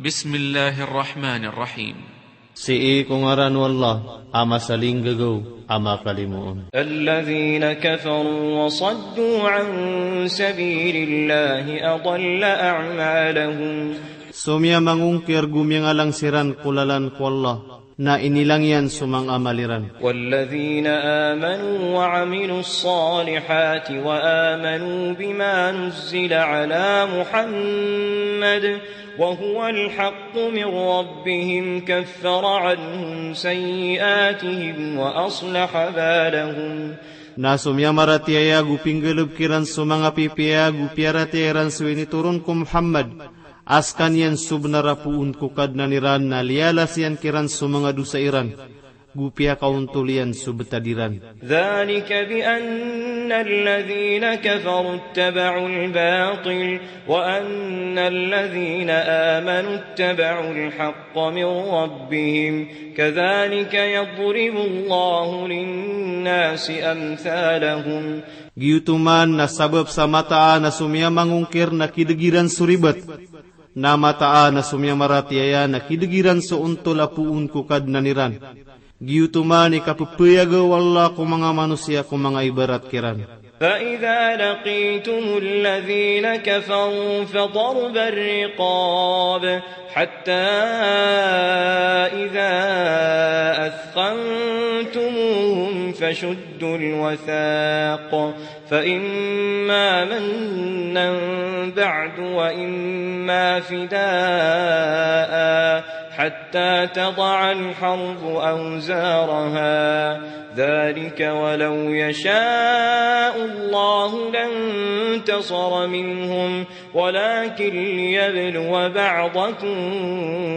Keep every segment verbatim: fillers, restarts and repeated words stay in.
Bismillahir Rahmanir Rahim. Sii ko ngaran o Allah a masalinggagaw a makalimoon. الذين كفروا وصدوا عن سبيل الله أضل أعمالهم. So miyamangongkir go miyangalang siran ko lalan ko Allah, na inilang iyan so manga amal iran. والذين آمنوا وعملوا الصالحات وآمنوا بما نزل على محمد وهو الحق من ربهم كفر عنهم سيئاتهم وأصلح بالهم. Na so miyamaratiyaya go pinggalbk iran so manga pipiya go piyaratiyaya iran so initoron ko Muhammad, a skaniyan so bnar a poon ko Kadnan iran, na liyalas iyan kiran so manga dosa iran, go piyakaontol iyan so btad iran. ذلك بأن الذين كفروا اتبعوا الباطل وأن الذين آمنوا اتبعوا الحق من ربهم كذلك يضرب الله للناس أمثالهم. Giyoto man na sabap sa mataan a so miyamangongkir na kidg iran so ribat, na mataan a so miyamaratiyaya na kidg iran so ontol a poon ko Kadnan iran. Giyoto man i kapphayag o Allah ko manga manosiya ko manga ibarat kiran. فإذا لقيتم الذين كفروا فضرب الرقاب حتى إذا أثخنتموهم فشدوا الوثاق فإما منا بعد وإما فداء حتى تضع الحرب أوزارها. ذلك ولو يشاء الله لانتصر منهم ولكن ليبلو بعضكم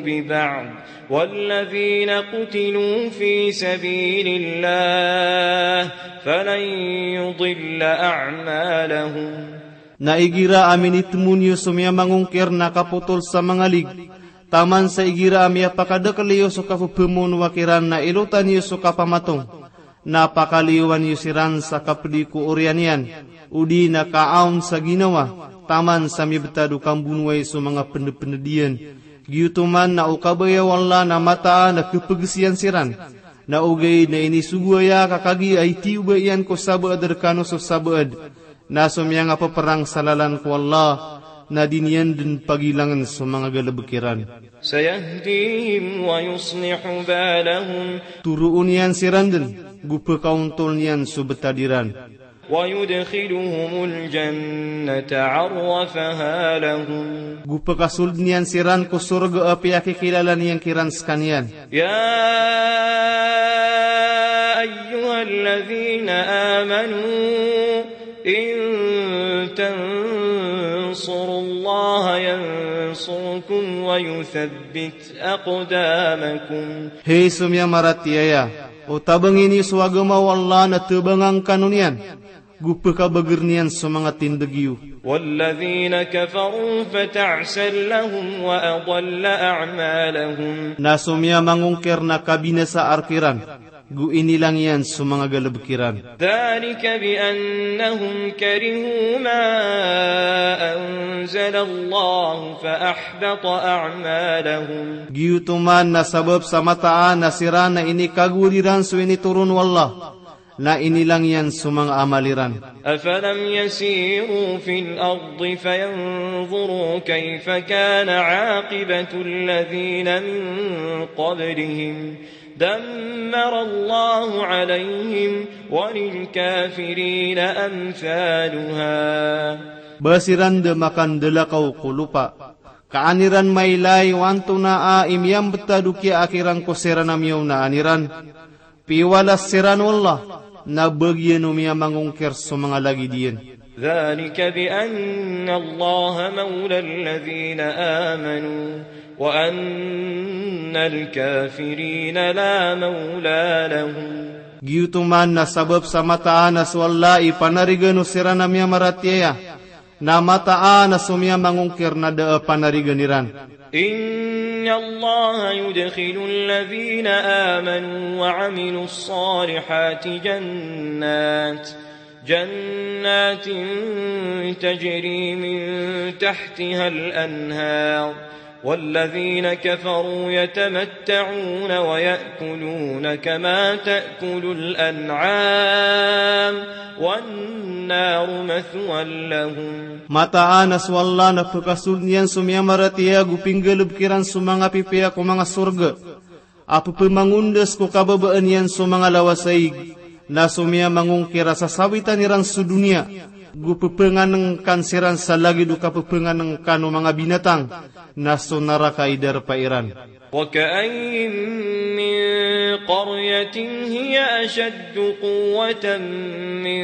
ببعض والذين قتلوا في سبيل الله فلن يضل أعمالهم. Na igira a minitmon iyo so miyamangongkir na kapotol sa manga lig, taman sa igira a miyapakadakl iyo so kapphmonowa kiran na ilotan iyo so kapamatong, na pakaliyowan iyo siran sa kapdi ko oriyan iyan, odi na kaawn sa ginawa, taman sa mibtad o kambonowai so manga pndpnd iyan. Giyoto man na o kabaya o Allah na mataan a khapgs iyan siran. Na ogaid na inisogo aya ka kagiya i tiyoba iyan ko sabaad rkano so sabaad. Na so miyangapprang sa lalan ko Allah, na di niyan dn pagilangn so manga galbk iran. سيهديهم ويصلح بالهم. Toroon iyan siran dn, go pkaontol iyan so btad iran. ويدخلهم الجنة عرفها لهم. Go pkasold iyan siran ko sorga a piyakikilala niyan kiran skaniyan. يا أيها الذين آمنوا إن تنصروا الله ينصركم ويثبت أقدامكم. Hay so miyamaratiyaya, o tabangi niyo so agama o Allah na tabangan kano niyan, go pkabagr iyan so manga tindg iyo. والذين كفروا فتعسا لهم وأضل أعمالهم. Na so miyamangongkir na kabinasa rkiran, go inilang iyan so manga galbk iran. ذلك بأنهم كرهوا ما أنزل الله فأحبط أعمالهم. Giyoto man na sabap sa mataan a siran na inikagowad iran so initoron o Allah, na inilang iyan so manga amal iran. أفلم يسيروا في الأرض فينظروا كيف كان عاقبة الذين من قبلهم دمر الله عليهم وللكافرين أمثالها. Ba siran da makandalakaw ko lopa, ka an iran mailay o antonaa i miyambtad o kiyaakir angkoto siran a miyaona iran. Piwalas siran o Allah, na bagiyan o miyamangongkir so manga lagid iyan. ذلك بأن الله مولى الذين آمنوا وأن الكافرين لا مولى لهم. Giyoto man na sabap sa mataan a so Allah i panarigan o siran a miyamaratiyaya, na mataan a so miyamangongkir na da a panarigan iran. إن الله يدخل الذين آمنوا وعملوا الصالحات جنات، جنات تجري من تحتها الأنهار، والذين كفروا يتمتعون ويأكلون كما تأكل الأنعام والنار مثوى لهم. Mataan a so Allah na pkasold iyan so miyamaratiyaya go pinggalbk iran so manga pipiya ko manga sorga a pphamangondas ko kababaan iyan so manga lawasaig, na so miyamangongkir a sasawitan iran so doniya, go pphanganngkan siran sa lagid o kapphanganngkan o manga binatang, na so naraka i darpa iran. وكأين من قرية هي أشد قوة من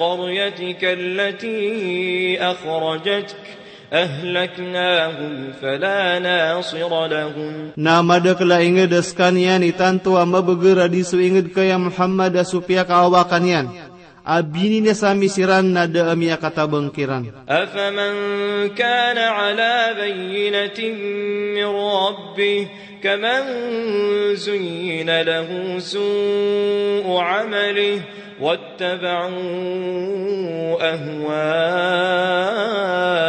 قريتك التي أخرجتك أهلكناهم فلا ناصر لهم. Na madakl a ingd a skaniyan i tanto a mabagr a di so ingd ka ya Muhammad a so piyakaawakan iyan a bininasa mi siran na da a miyakatabang kiran. أفمن كان على بينة من ربه كمن زين له سوء عمله واتبعوا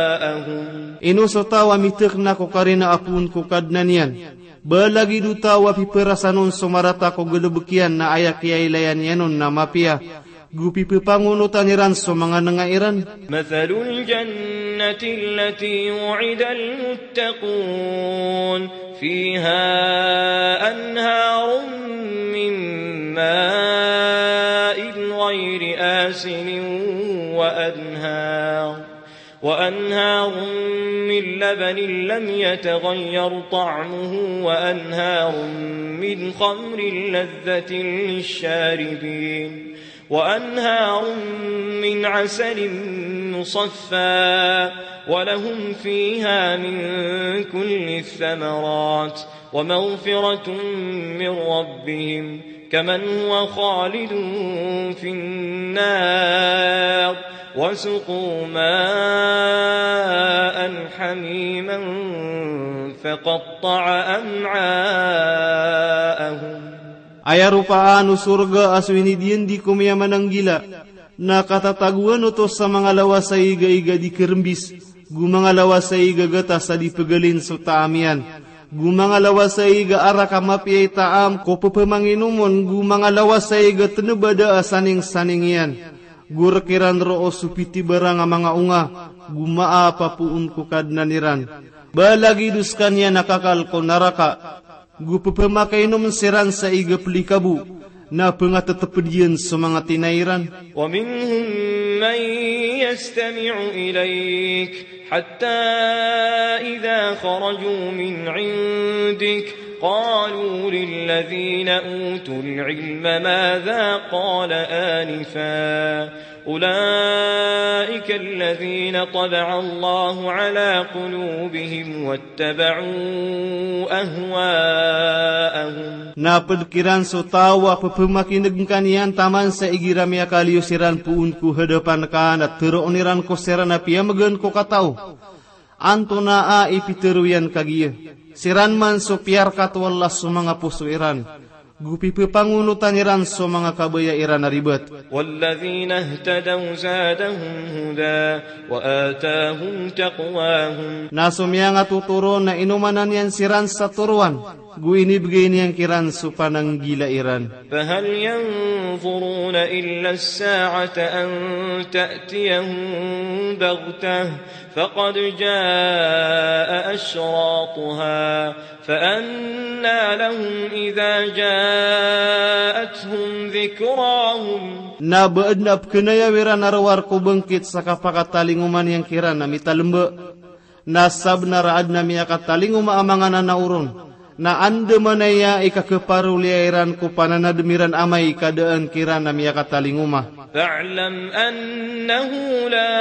أهواءهم. Ino so taw a mitk na ko karina a poon ko Kadnan iyan, ba lagid o taw a pipharasan on so marata ko galbk iyan na aya kiyailaya niyan on na mapiya, go piphangonotan iran so manga nanga iran. مثل الجنة التي وعد المتقون فيها أنهار من ماء غير آسن وأنهار وأنهار من لبن لم يتغير طعمه وأنهار من خمر لذة للشاربين وأنهار من عسل مصفى ولهم فيها من كل الثمرات ومغفرة من ربهم كمن هو خالد في النار وسقوا ماء حميما فقطع أمعاءهم. Aya ropaan o sorga a so inidiyandi ko miyamananggila, na katatagoan oto sa manga lawasaig a iga di kerembis, go manga lawasaig a gatas a di pegalin so taam iyan, go manga lawasaig a arak a mapiya i taam ko pepemanginom on, go manga lawasaig a teneb a da a saningsaning iyan. Go rek iran roo so pitibarang a manga onga, go maap a poon ko Kadnan iran. Ba lagid o sekaniyan a kakal ko naraka, go pepemakainom siran sa iga pelikabo, na pengateteped iyan so manga tinai iran. ومنهم من يستمع إليك حتى إذا خرجوا من عندك قالوا للذين أوتوا العلم ماذا قال آنفا أولئك الذين طبع الله على قلوبهم واتبعوا أهواءهم. Na ped kiran so taw a pepemakineg ngka niyan taman sa igira miyakaliyo siran poon ko hadapan ka na teroon iran ko siran a piyamegan ko katao. Antonaa i pitero iyan kagiya? Siran man so piyarkat o Allah so manga poso iran, go pipepangonotan iran so manga kabaya iran a ribat. والذين اهتدوا زادهم هدى وآتاهم تقواهم. Na so miyangatotoro na inomanan iyan siran sa toroan, go inibegay niyan kiran so pananggila iran. فهل ينظرون إلا الساعة أن تأتيهم بغتة فقد جاء أشراطها فأنى لهم إذا جاءتهم ذكراهم. Na ba aden a pekenayaw iran a rowar ko bangkit sa kapakatalingoma niyan kiran a mitalemba. Na sabenar a aden a miyakatalingoma a manga nanaoron, na andamanaya i kakeparoliya iran ko pananadem iran amay ka daan kiran a miyakatalingoma. فاعلم أنه لا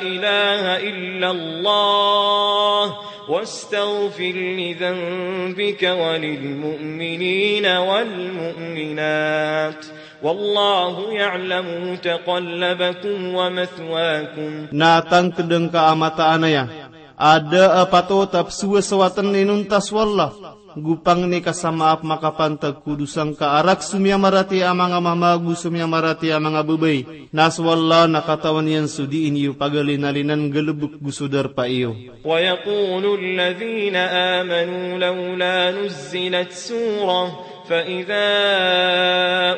إله إلا الله واستغفر لذنبك وللمؤمنين والمؤمنات والله يعلم متقلبكم ومثواكم. Na tangked ngka a mataan aya a da a patot a pesowasowaten inonta so Allah, Go pangni ka sa maap makapantag ko dosa ngka a rakhs o miyamaratiyaya a manga mama ago so miyamaratiyaya a manga babay. Na so Allah na katawan iyan so dii niyo pagalinalinan, galebek go so darpa iyo. ويقول الذين آمنوا لولا نزلت سورة، فإذا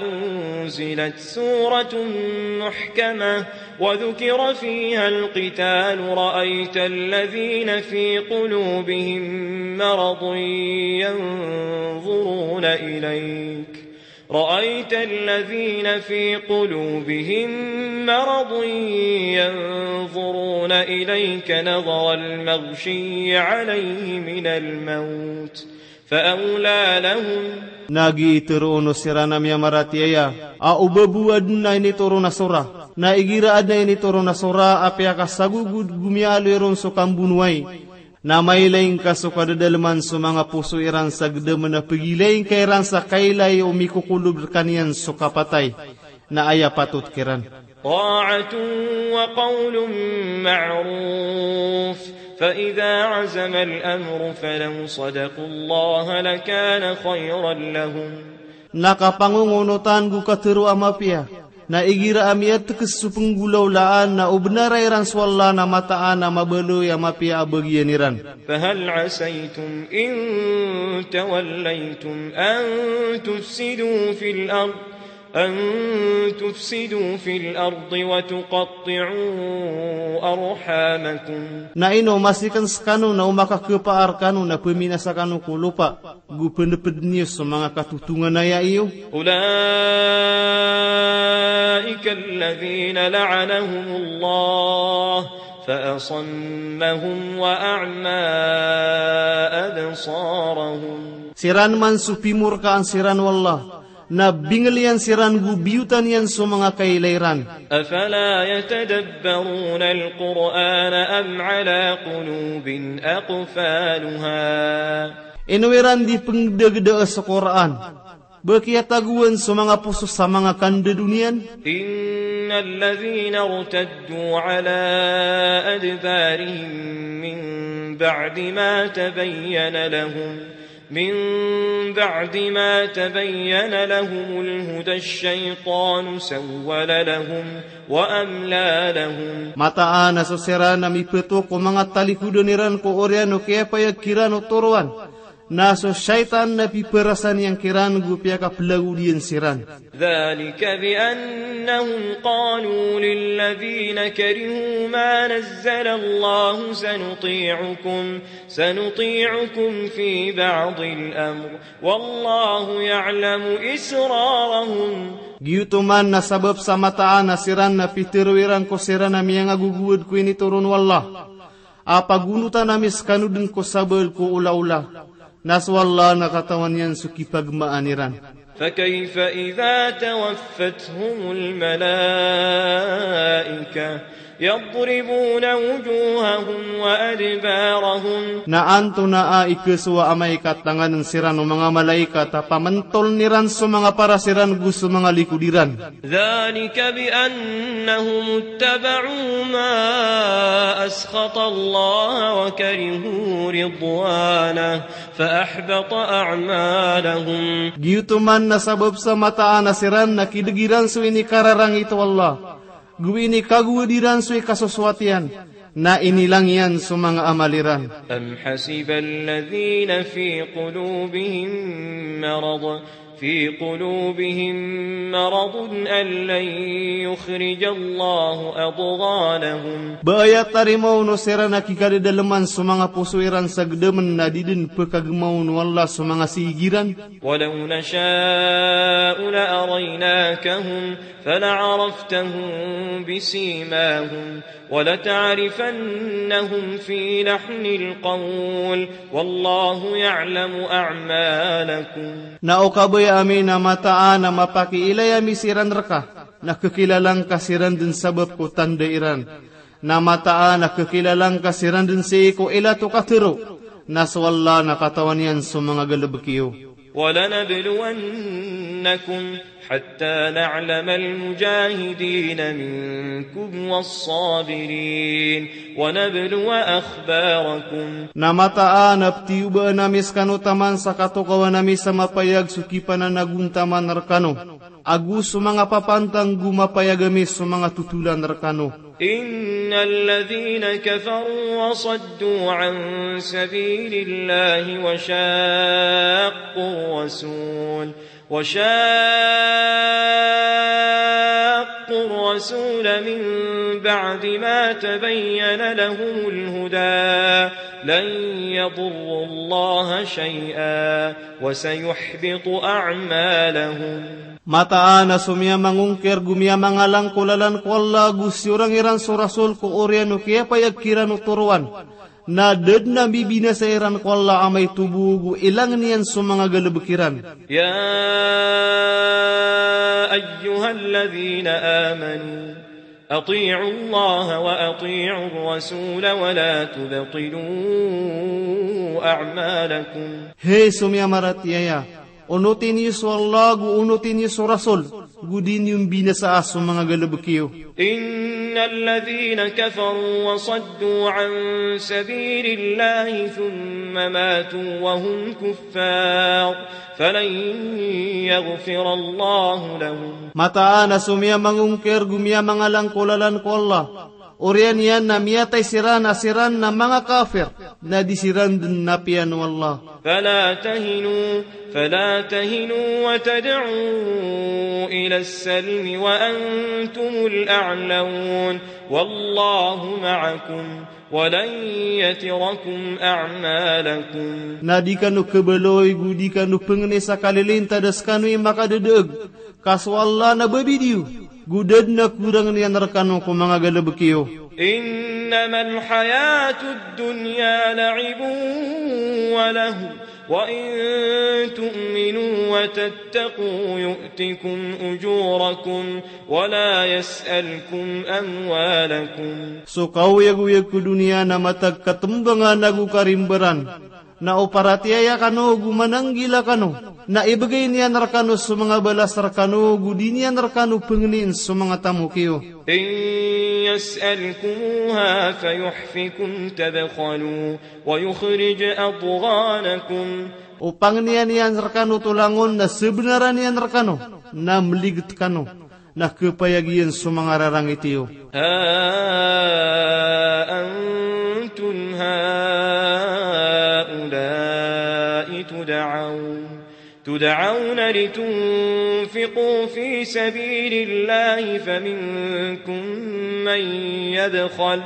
أنزلت سورة محكمة وذكر فيها القتال رأيت الذين في قلوبهم مرض ينظرون إليك، رأيت الذين في قلوبهم مرض ينظرون إليك نظر المغشي عليه من الموت فأولى لهم. Na giya i tharoon o siran a miyamaratiyaya a o ba bo aden a initoron a sora, na igira aden a initoron a sora a piyakasagogod go miyaaloy ron so kambonowai, na mailay ngka so kadadaleman so manga poso iran sa gedamen a pegilay ngka iran sa kailay o mikokolod rekaniyan so kapatay, na aya patot kiran. طاعة وقول معروف، فإذا عزم الأمر فلو صدقوا الله لكان خيرا لهم. Na kapangongonotan go katharo a mapiya, na igira a miyatekes so penggolawlaan na o benara iran so Allah na mataan a mabaloy a mapiya a bagian iran. فهل عسيتم إن توليتم أن تفسدوا في الأرض، أن تفسدوا في الأرض وتقطعوا أرحامكم. Na ino masiken sekano na o makakepaar kano na peminasa kano ko lopa, go peneped niyo so manga katotonganaya iyo. أولئك الذين لعنهم الله فأصمهم وأعمى أبصارهم. Siran man so pimorkaan siran o Allah, na bingel iyan siran go biyotan iyan so manga kailay ran. أفلا يتدبرون القرآن أم على قلوب أقفالها. Ino iran di pengedageda so Qur'an, ba kiyatagoan so manga poso sa manga kandadon iyan. إن الذين ارتدوا على أدبارهم من بعد ما تبين لهم، من بعد ما تبين لهم الهدى الشيطان سول لهم وأملى لهم. Mataan a so siran a mipeto ko manga talikodan iran ko oriyan o kiyapayag kiran o toroan, na so shaytan na piperasan iyan kiran go piyakapelagod iyan siran. ذلك بأنهم قالوا للذين كرهوا ما نزل الله سنطيعكم، سنطيعكم في بعض الأمر والله يعلم إسرارهم. Giyoto man na sabap sa mataan a siran na pitharo iran ko siran a miyangagogowad ko initoron o Allah a pagonotan ami sekano den ko sabal ko olaola. Na so Allah na katawan iyan so kipagemaan iran. فكيف إذا توفتهم الملائكة يضربون وجوههم وأدبارهم. Na antonaa i kesowa amay ka tanganen siran o manga malaikat a pamentoln iran so manga paras iran go so manga likod iran. ذلك بأنهم اتبعوا ما أسخط الله وكرهوا رضوانه فأحبط أعمالهم. Giyoto man na sabap sa mataan a siran na kideg iran so inikararangit o Allah, go inikagowad iran so ikasosoat iyan, na inilang iyan so manga amal iran. أم حسب الذين في قلوبهم مرض، في قلوبهم مرض أن لن يخرج الله أضغانهم. Ba aya tarimaon o siran a kikadadaleman so manga poso iran sa gedamen na di den pekagemaon o Allah so manga sii iran. ولو نشاء لأريناكهم فلعرفتهم بسيماهم ولتعرفنهم في لحن القول والله يعلم أعمالكم. Na o kabaya ami na mataan a mapakiilay ami siran reka, na kekilala ngka siran den sabap ko tanda iran. Na mataan a kekilala ngka siran den sii ko ilat o katharo. Na so Allah na katawan iyan so manga galebek iyo. ولنبلونكم حتى نعلم المجاهدين منكم والصابرين ونبلو أخباركم. Na mataan a ptiyobaen ami skano taman sa katokawan ami sa mapayag so kipananagontaman rkano, ago so manga papantang go mapayag ami so manga totolan rkano. إن الذين كفروا وصدوا عن سبيل الله وشاقوا الرسول، وشاقوا الرسول من بعد ما تبين لهم الهدى لن يضروا الله شيئا وسيحبط أعمالهم. Mataan a so miyamangongkir go miyamangalang ko lalan ko Allah go siyorang iran so Rasul ko oriyan o kiyapayag kiran o toroan, na da dn a mbibinasa iran ko Allah amay tobo go ilangn iyan so manga galbk iran. يا أيها الذين آمنوا أطيعوا الله وأطيعوا الرسول ولا تبطلوا أعمالكم. Hay so miyamaratiyaya, onoti niyo so Allah go onoti niyo so Rasul, go di niyo mbinasaa so manga galbk iyo. إن الذين كفروا وصدوا عن سبيل الله ثم ماتوا وهم كفار فلن يغفر الله لهم. Mataan a so miyamangongkir go miyamangalang ko lalan ko Allah, oriyan iyan na miyatay siran a siran na manga kafir, na di siran dn apiya o Allah. فلا تهنوا، فلا تهنوا وتدعوا إلى السلم وأنتم الأعلون والله معكم ولن يتركم أعمالكم. Na di kano khabaloy go di kano pangni sa kalilintad a skano i makadadaag, ka so Allah na babidi iyo, go da dn a korangn iyan rkano ko manga galbk iyo. إنما الحياة الدنيا لعب ولهو وإن تؤمنوا وتتقوا يؤتكم أجوركم ولا يسألكم أموالكم. So kaoyagoyag ko doniya na matag katmbangan ago karimbaran, na o paratiyaya kano go mananggila kano, na ibgay niyan rkano so manga balas rkano go di niyan rkano pangnin so manga tamok iyo. إن يسألكموها فيحفكم تبخلوا ويخرج أضغانكم. O pangnin iyan rkano to langon na sabnaran iyan rkano, na mligt kano, na khapayag iyan so manga rarangit iyo. ها أنتم هؤلاء تدعون، تدعون لتنفقوا في سبيل الله فمنكم من يبخل،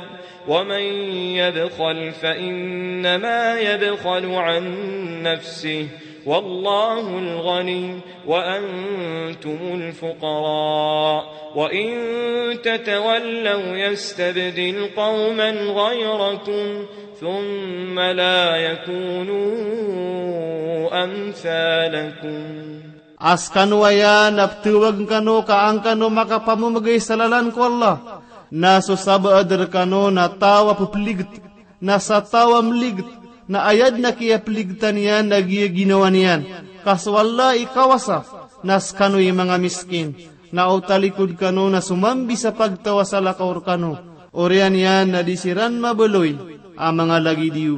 ومن يبخل فإنما يبخل عن نفسه والله الغني وأنتم الفقراء وإن تتولوا يستبدل قوما غيركم ثم لا يكونوا أمثالكم. A skano aya na ptawagn kano ka an kano makapamamgay sa lalan ko Allah, na so sabaad rkano na taw a ppligt, na sa taw a mligt, na aya dn a kiyapligtan iyan na giya ginawa niyan, ka so Allah i kawasa, na skano i manga miskin. Na o talikod kano na so mambi sa pagtaw a salakaw rkano, oriyan iyan na di siran mabaloy a manga lagid iyo.